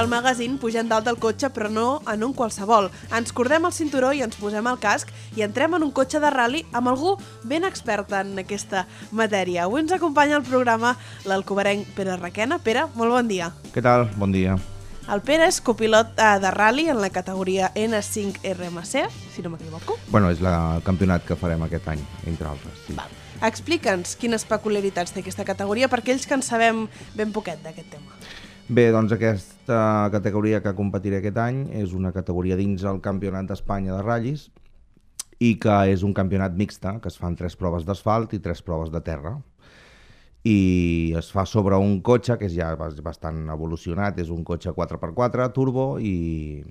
al magazín pugem dalt del cotxe, però no en un qualsevol. Ens cordem el cinturó i ens posem el casc i entrem en un cotxe de ral·li amb algú ben expert en aquesta matèria. Avui ens acompanya al programa l'alcobenc Pere Requena. Pere, molt bon dia. Què tal? Bon dia. El Pere és copilot de ral·li en la categoria N5 RMC, si no m'equivoco. Bueno, és el campionat que farem aquest any, entre altres. Sí. Val. Explica'ns quines peculiaritats té aquesta categoria per aquells que en sabem ben poquet d'aquest tema. Bé, doncs aquesta categoria que competiré aquest any és una categoria dins el Campionat d'Espanya de ratllis i que és un campionat mixte, que es fan 3 proves d'asfalt i 3 proves de terra. I es fa sobre un cotxe que és ja bastant evolucionat, és un cotxe 4x4 turbo i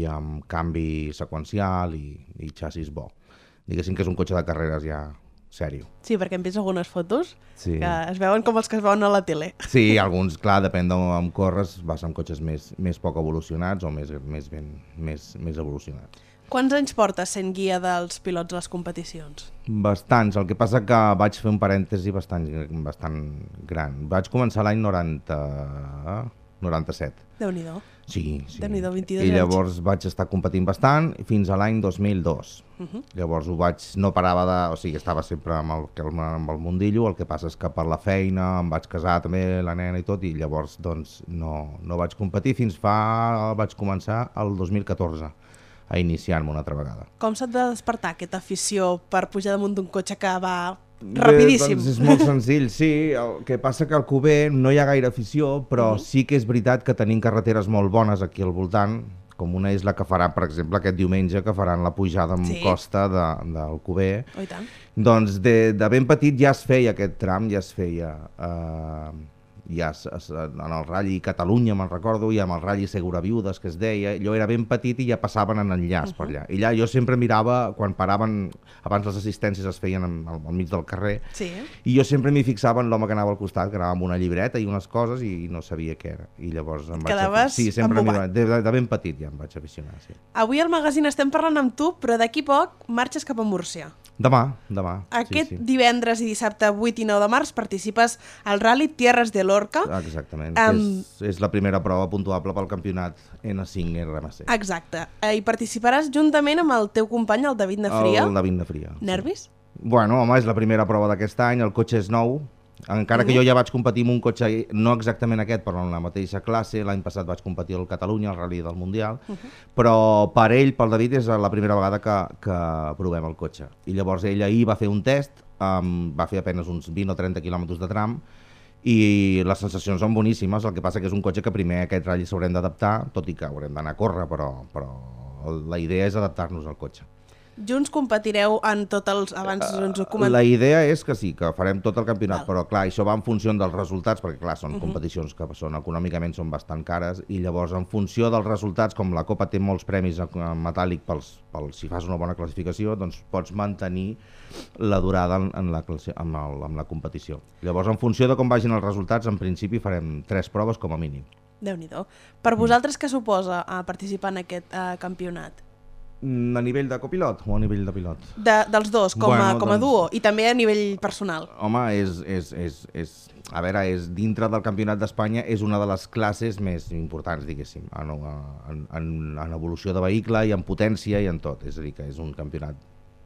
amb canvi seqüencial i xassis bo. Diguéssim que és un cotxe de carreres ja sèrio. Sí, perquè hem vist algunes fotos Sí. que es veuen com els que es veuen a la tele. Sí, alguns, clar, depèn d'on corres, vas amb cotxes més poc evolucionats o més evolucionats. Quants anys portes sent guia dels pilots a les competicions? Bastants, el que passa que vaig fer un parèntesi bastant gran. Vaig començar l'any 97. Déu-n'hi-do. Sí. Déu-n'hi-do, 22 I anys. llavors vaig estar competint bastant fins a l'any 2002. Llavors no parava o sigui, estava sempre amb el mundillo, el que passa és que per la feina em vaig casar també, la nena i tot, i llavors doncs no vaig competir vaig començar el 2014 a iniciar-me una altra vegada. Com se't va despertar aquesta afició per pujar damunt d'un cotxe que va rapidíssim? Bé, doncs és molt senzill, sí. El que passa que al Cuber no hi ha gaire afició, però sí que és veritat que tenim carreteres molt bones aquí al voltant, com una és la que faran, per exemple, aquest diumenge, que faran la pujada amb costa del Cuber. Oh, i tant. Doncs de ben petit ja es feia aquest tram, ja es feia en el Rally Catalunya, me'n recordo, i amb el Rally Seguraviudes, que es deia. Jo era ben petit i ja passaven en enllaç per allà. I allà jo sempre mirava, quan paraven, abans les assistències es feien al mig del carrer, i jo sempre m'hi fixava en l'home que anava al costat, que anava amb una llibreta i unes coses i no sabia què era. I llavors em vaig quedaves embobat. de ben petit ja em vaig aficionar, sí. Avui al magazín estem parlant amb tu, però d'aquí poc marxes cap a Múrcia. Demà. Aquest divendres i dissabte 8 i 9 de març participes al Rally Tierras de Lorca. Exactament, és la primera prova puntuable pel campionat N5 RMC. Exacte, i participaràs juntament amb el teu company, el David Nafria. El David Nafria. Nervis? Bueno, home, és la primera prova d'aquest any, el cotxe és nou, encara que jo ja vaig competir amb un cotxe, no exactament aquest, però en la mateixa classe. L'any passat vaig competir al Catalunya, al Rally del Mundial, però per ell, pel David, és la primera vegada que provem el cotxe. I llavors ell ahir va fer un test, va fer apenas uns 20 o 30 quilòmetres de tram, i les sensacions són boníssimes. El que passa que és un cotxe que primer aquest ratll s'haurem d'adaptar, tot i que haurem d'anar a córrer, però la idea és adaptar-nos al cotxe. Junts competireu en tots els... Abans ens ho comentem. La idea és que sí, que farem tot el campionat, però clar, això va en funció dels resultats, perquè clar, són competicions que econòmicament són bastant cares, i llavors en funció dels resultats, com la Copa té molts premis en metàl·lic si fas una bona classificació, doncs pots mantenir la durada amb la competició. Llavors, en funció de com vagin els resultats, en principi farem 3 proves com a mínim. Déu-n'hi-do. Per vosaltres què suposa participar en aquest campionat? A nivell de copilot o a nivell de pilot? Dels dos, com a duo, i també a nivell personal. Home, a veure, dintre del Campionat d'Espanya és una de les classes més importants, diguéssim, en evolució de vehicle i en potència i en tot. És a dir, que és un campionat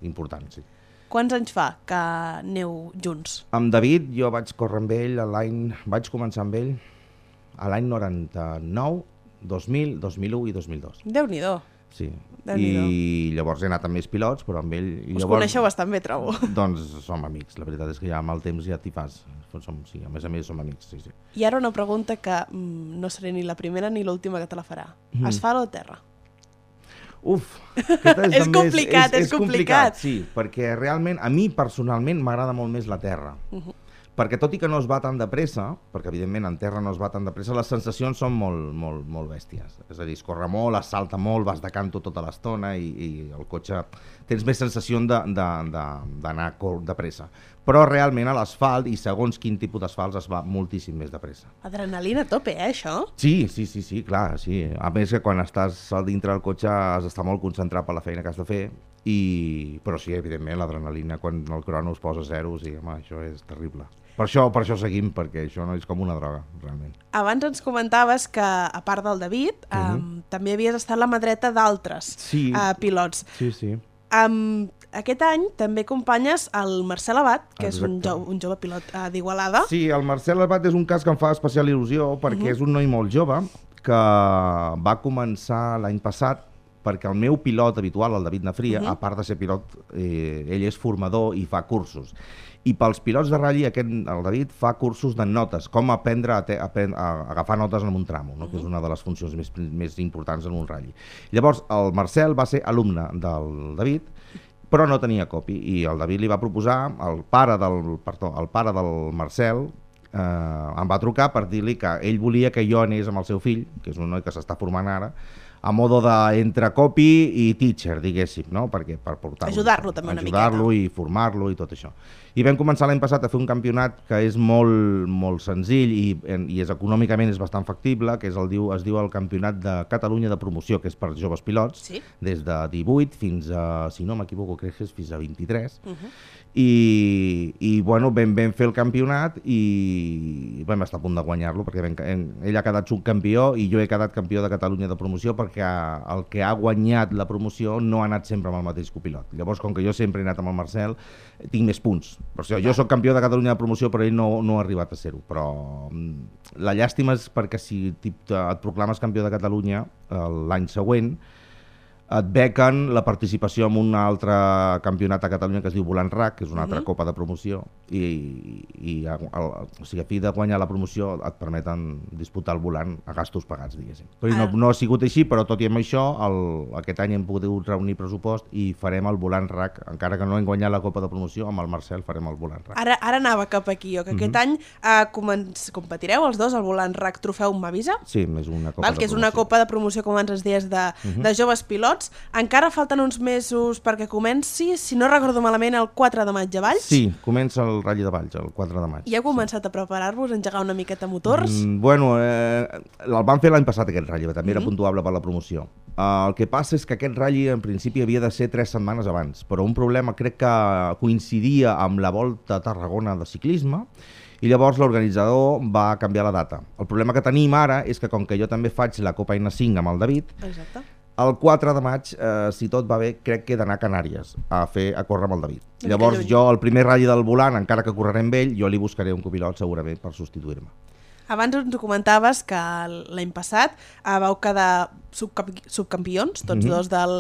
important, sí. Quants anys fa que aneu junts? Amb David jo vaig córrer amb ell vaig començar amb ell a l'any 99, 2000, 2001 i 2002. Déu-n'hi-do. Sí, i llavors he anat amb més pilots, però amb ell... Us coneixeu bastant bé, trobo. Doncs som amics, la veritat és que ja amb el temps ja t'hi fas. Sí, a més som amics, sí. I ara una pregunta que no seré ni la primera ni l'última que te la farà. Asfalt o terra? Uf, és complicat. Sí, perquè realment, a mi personalment m'agrada molt més la terra. Perquè tot i que no es va tan de pressa, perquè evidentment en terra no es va tan de pressa, les sensacions són molt bèsties. És a dir, es corre molt, es salta molt, vas de canto tota l'estona i el cotxe... Tens més sensació d'anar de pressa. Però realment a l'asfalt, i segons quin tipus d'asfalt, es va moltíssim més de pressa. Adrenalina a tope, això? Sí, clar, sí. A més que quan estàs dintre del cotxe has d'estar molt concentrat per la feina que has de fer, però sí, evidentment, l'adrenalina, quan el crono es posa a zero, sí, home, això és terrible. Per això seguim, perquè això no és com una droga, realment. Abans ens comentaves que, a part del David, també havies estat la mà dreta d'altres pilots. Sí. Aquest any també acompanyes el Marcel Abat, que és un jove pilot d'Igualada. Sí, el Marcel Abat és un cas que em fa especial il·lusió, perquè és un noi molt jove que va començar l'any passat perquè el meu pilot habitual, el David Nafria, a part de ser pilot, ell és formador i fa cursos. I pels pilots de ratll, el David fa cursos de notes, com aprendre a agafar notes en un tramo, no? Que és una de les funcions més importants en un ratll. Llavors, el Marcel va ser alumne del David, però no tenia copi, i el David li va proposar, el pare del Marcel, em va trucar per dir-li que ell volia que jo anés amb el seu fill, que és un noi que s'està formant ara, a modo d'entre copy i teacher, diguéssim, no? Per portar-lo. Ajudar-lo també una miqueta. Ajudar-lo i formar-lo i tot això. I vam començar l'any passat a fer un campionat que és molt senzill i econòmicament és bastant factible, que es diu el Campionat de Catalunya de Promoció, que és per joves pilots, des de 18 fins a, si no m'equivoco, crec que és fins a 23. I bueno, vam fer el campionat i vam estar a punt de guanyar-lo, perquè ell ha quedat subcampió i jo he quedat campió de Catalunya de Promoció, perquè el que ha guanyat la promoció no ha anat sempre amb el mateix copilot. Llavors, com que jo sempre he anat amb el Marcel, tinc més punts. Per això, jo soc campió de Catalunya de Promoció, però ell no ha arribat a ser-ho. Però la llàstima és perquè si et proclames campió de Catalunya l'any següent, et bequen la participació en un altre campionat a Catalunya que es diu Volant RAC, que és una altra copa de promoció, o sigui, a fi de guanyar la promoció et permeten disputar el volant a gastos pagats, diguéssim. Però no ha sigut així, però tot i amb això, aquest any hem pogut reunir pressupost i farem el Volant RAC, encara que no hem guanyat la copa de promoció, amb el Marcel farem el Volant RAC. Ara anava cap aquí, que aquest any competireu els dos al Volant RAC Trofeu Mavisa? Sí, és una copa de promoció. Que és una copa de promoció, com abans ens dies, de joves pilots. Encara falten uns mesos perquè comenci, si no recordo malament, el 4 de maig a Valls. Sí, comença el Rally de Valls, el 4 de maig. I heu començat a preparar-vos, a engegar una miqueta motors? Bueno, el vam fer l'any passat aquest Rally, també era puntuable per la promoció. El que passa és que aquest Rally en principi havia de ser 3 setmanes abans, però un problema crec que coincidia amb la Volta a Tarragona de ciclisme, i llavors l'organitzador va canviar la data. El problema que tenim ara és que com que jo també faig la Copa N5 amb el David, el 4 de maig, si tot va bé, crec que he d'anar a Canàries a córrer amb el David. Llavors jo, el primer ratll del volant, encara que correré amb ell, jo li buscaré un copilot segurament per substituir-me. Abans ens comentaves que l'any passat vau quedar subcampions, tots dos del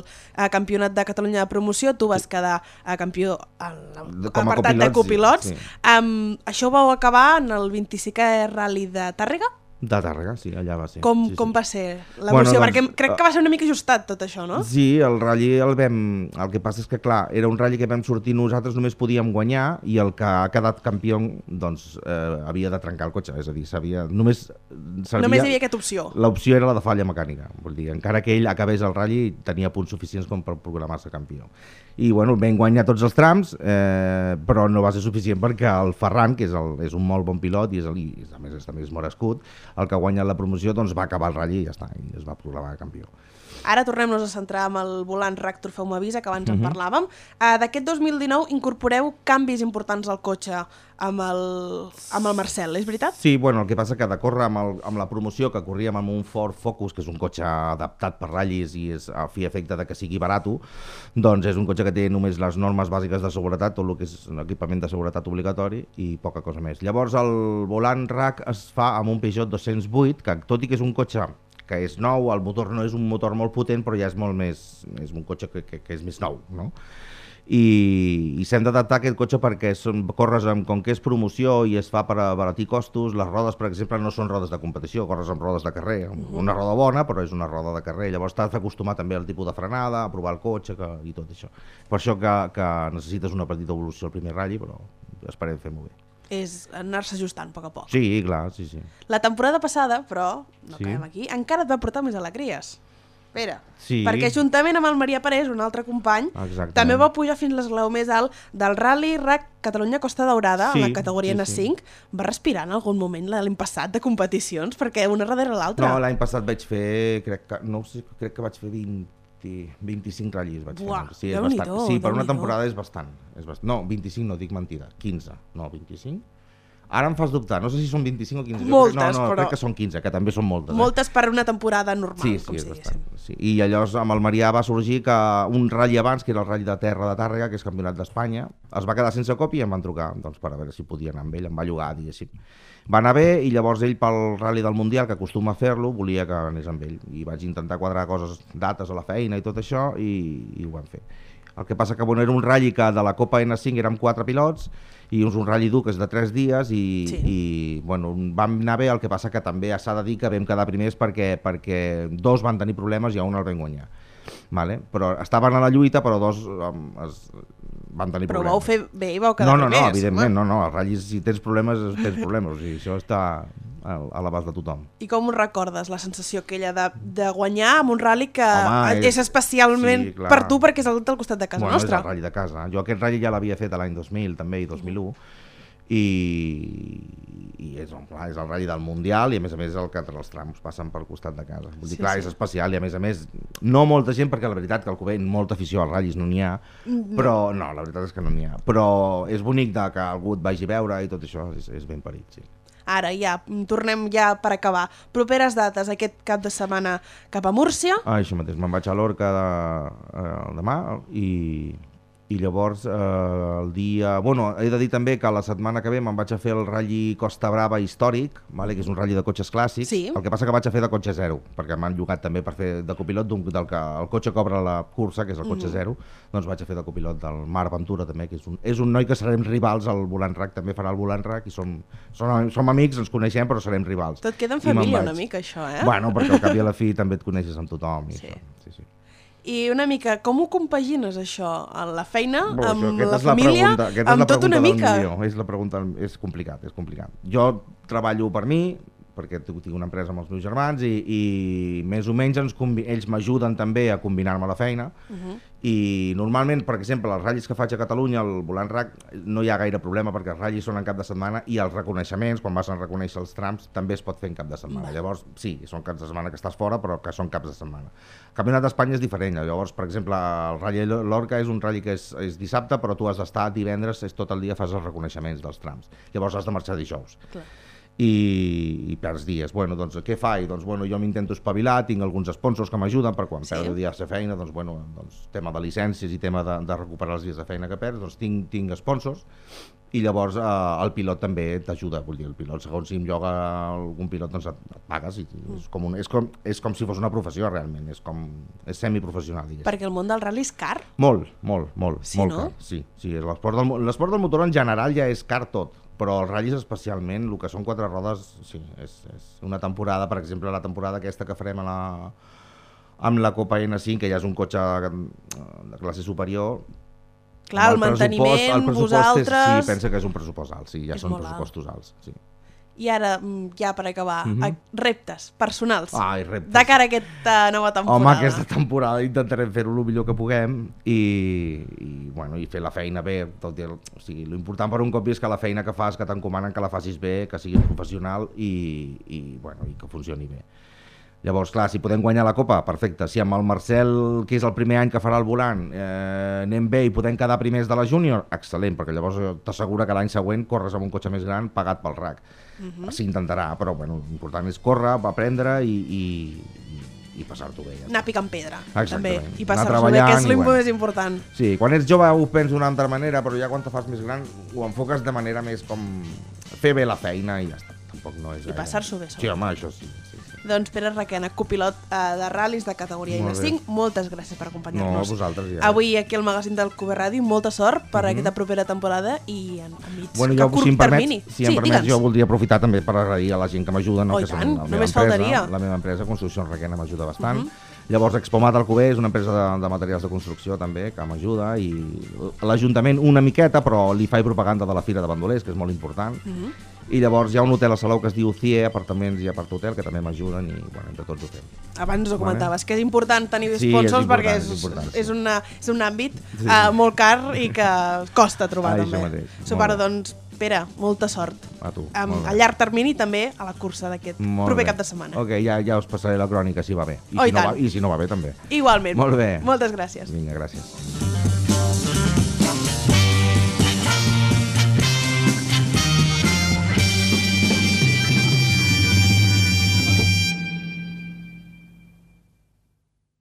Campionat de Catalunya de Promoció. Tu vas quedar campió a l'apartat de copilots. Això ho vau acabar en el 25è Rally de Tàrrega? De Tàrrega, sí, allà va ser. Com va ser l'evolució? Perquè crec que va ser una mica ajustat tot això, no? Sí, el ratll el que passa és que, clar, era un ratll que vam sortir nosaltres, només podíem guanyar, i el que ha quedat campió, doncs, havia de trencar el cotxe, és a dir, només hi havia aquesta opció. L'opció era la de falla mecànica, vull dir, encara que ell acabés el ratll, tenia punts suficients com per programar-se campió. I, bueno, vam guanyar tots els trams, però no va ser suficient perquè el Ferran, que és un molt bon pilot i a més també és morescut, el que ha guanyat la promoció, doncs va acabar el ratll i ja està, i es va proclamar campió. Ara tornem-nos a centrar amb el Volant RAC Trofeu Mavisa, que abans en parlàvem. D'aquest 2019 incorporeu canvis importants al cotxe amb el Marcel, és veritat? Sí, bueno, el que passa que de córrer amb la promoció, que corríem amb un Ford Focus, que és un cotxe adaptat per ratllis i és a fi efecte de que sigui barat, doncs és un cotxe que té només les normes bàsiques de seguretat, tot el que és equipament de seguretat obligatori i poca cosa més. Llavors el Volant RAC es fa amb un Peugeot 208, que tot i que és un cotxe que és nou, el motor no és un motor molt potent, però ja és molt més, és un cotxe que és més nou, no? I s'hem d'adaptar a aquest cotxe perquè corres com que és promoció i es fa per abaratir costos. Les rodes, per exemple, no són rodes de competició, corres amb rodes de carrer, una roda bona, però és una roda de carrer. Llavors t'has d'acostumar també al tipus de frenada, a provar el cotxe i tot això. Per això que necessites una petita evolució al primer ratll, però esperem fer molt bé. És anar-se ajustant a poc a poc. Sí, clar, sí. La temporada passada, però, no acabem aquí, encara et va portar més alegries. Pere, perquè juntament amb el Maria Parés, un altre company, també va pujar fins l'esglaó més alt del Rally RAC Catalunya Costa Daurada, en la categoria N5. Va respirar en algun moment l'any passat de competicions, perquè una darrere l'altra. No, l'any passat vaig fer, crec que vaig fer 25 ratllis vaig fer. Sí, és bastant. Sí, per una temporada és bastant. No, 25 no, dic mentida, 15. No, 25? Ara em fas dubtar, no sé si són 25 o 15. Moltes, però... però... crec que són 15, que també són moltes. Moltes per una temporada normal, sí, com és si bastant, diguéssim. sí. I llavors amb el Marià va sorgir que un ratll abans, que era el ratll de terra de Tàrrega, que és campionat d'Espanya, es va quedar sense cop i em van trucar doncs, per a veure si podia anar amb ell, em va llogar, diguéssim. Va anar bé i llavors ell pel Rally del Mundial, que acostuma a fer-lo, volia que anés amb ell. I vaig intentar quadrar coses, dates a la feina i tot això, i ho vam fer. El que passa que bueno, era un ratll que de la Copa N5 érem 4 pilots, i és un ratll dur que és de 3 dies i bueno, vam anar bé, el que passa que també s'ha de dir que vam quedar primers perquè 2 van tenir problemes i a un el vam guanyar. Vale? Però estaven a la lluita, però 2 van tenir problemes. Però vau fer bé i vau quedar primers. No, evidentment, no, els ratllis, si tens problemes, tens problemes, o sigui, això està a l'abast de tothom. I com ho recordes, la sensació aquella de guanyar amb un rally que Home, és especialment sí, per tu perquè és al costat de casa nostra? És el ratll de casa. Jo aquest ratll ja l'havia fet l'any 2000 també i 2001 i és el ratll del Mundial i a més el que els trams passen pel costat de casa. Vull dir, clar, és especial i a més no molta gent, perquè la veritat que al Cubell molta afició als ratllis no n'hi ha, però no, la veritat és que no n'hi ha, però és bonic que algú et vagi a veure i tot això és ben parit, sí. Ara ja, tornem ja per acabar. Properes dates, aquest cap de setmana cap a Múrcia. Això mateix, me'n vaig a Lorca demà i llavors el dia... Bueno, he de dir també que la setmana que ve me'n vaig a fer el Rally Costa Brava històric, vale? Que és un ratll de cotxes clàssics. Sí. El que passa que vaig a fer de cotxe zero, perquè m'han llogat també per fer de copilot del que el cotxe cobra la cursa, que és el cotxe zero, doncs vaig a fer de copilot del Marc Ventura també, que és un noi que serem rivals al Volant RAC, també farà el Volant RAC i som amics, ens coneixem, però serem rivals. Tot queda en família una mica, això, eh? Bueno, perquè al cap i a la fi també et coneixes amb tothom. Sí. Sí. I una mica, com ho compagines això? La feina, amb la és família, amb tot una mica? És la pregunta, és complicat. Jo treballo per mi, perquè tinc una empresa amb els meus germans i més o menys ells m'ajuden també a combinar-me la feina i normalment, per exemple, els ratllis que faig a Catalunya, el Volant RAC, no hi ha gaire problema perquè els ratllis són en cap de setmana i els reconeixements, quan vas a reconèixer els trams, també es pot fer en cap de setmana. Llavors, sí, són caps de setmana que estàs fora, però que són caps de setmana. El Campionat d'Espanya és diferent. Llavors, per exemple, el Rally Lorca és un rally que és dissabte, però tu has d'estar divendres, tot el dia fas els reconeixements dels trams. Llavors has de marxar dijous. Clar. I perds dies. Bueno, doncs què faig? Doncs bueno, jo m'intento espavilar, tinc alguns sponsors que m'ajuden per quan perdo dies de feina, doncs bueno, tema de llicències i tema de recuperar els dies de feina que perds, doncs tinc sponsors i llavors el pilot també t'ajuda, vull dir, el pilot, segons si em lloga algun pilot, doncs et pagues i és com si fos una professió realment, és semiprofessional, diguéssim. Perquè el món del rally és car? Molt Sí, no? car. Sí, l'esport del motor en general ja és car tot, però els ratllis especialment, el que són 4 rodes, sí, és una temporada, per exemple, la temporada aquesta que farem amb la Copa N5, que ja és un cotxe de classe superior. Clar, el manteniment, vosaltres... Sí, pensa que és un pressupost alt, sí, ja són pressupostos alts, sí. I ara, ja per acabar, reptes personals reptes. de cara a aquesta nova temporada. Home, aquesta temporada intentarem fer-ho el millor que puguem i fer la feina bé. L'important per un cop és que la feina que fas, que t'encomanen, que la facis bé, que siguis professional i que funcioni bé. Llavors, clar, si podem guanyar la Copa, perfecte. Si amb el Marcel, que és el primer any que farà el volant, anem bé i podem quedar primers de la júnior, excel·lent, perquè llavors t'assegura que l'any següent corres amb un cotxe més gran pagat pel RAC. S'intentarà, però bueno, l'important és córrer, aprendre i passar-t'ho bé. Anar picant pedra, també, i Anar passar-s'ho bé, que és més important. Sí, quan ets jove ho penso d'una altra manera, però ja quan te fas més gran ho enfoques de manera més com fer bé la feina i ja està. Tampoc no és I passar-s'ho bé. Sí, home, això sí. Doncs Pere Requena, copilot de ral·lis de categoria N5, moltes gràcies per acompanyar-nos. No, a vosaltres ja. Avui aquí al magazín del Cube Ràdio, molta sort per aquesta propera temporada i a mig a curt termini. Si em permets, jo voldria aprofitar també per agrair a la gent que m'ajuda, que són la meva empresa, Construcció Requena, m'ajuda bastant. Llavors, Expomat Alcover és una empresa de materials de construcció també, que m'ajuda, i l'Ajuntament una miqueta, però li faig propaganda de la Fira de Bandolers, que és molt important. I llavors hi ha un hotel a Salou que es diu CIE, apartaments i apart-hotel, que també m'ajuden i entre tots ho fem. Abans ho comentaves, que és important tenir sponsors perquè és un àmbit molt car i que costa trobar també. Doncs, Pere, molta sort. A tu. A llarg termini també a la cursa d'aquest proper cap de setmana. Ok, ja us passaré la crònica si va bé. I si no va bé també. Igualment. Molt bé. Moltes gràcies. Vinga, gràcies.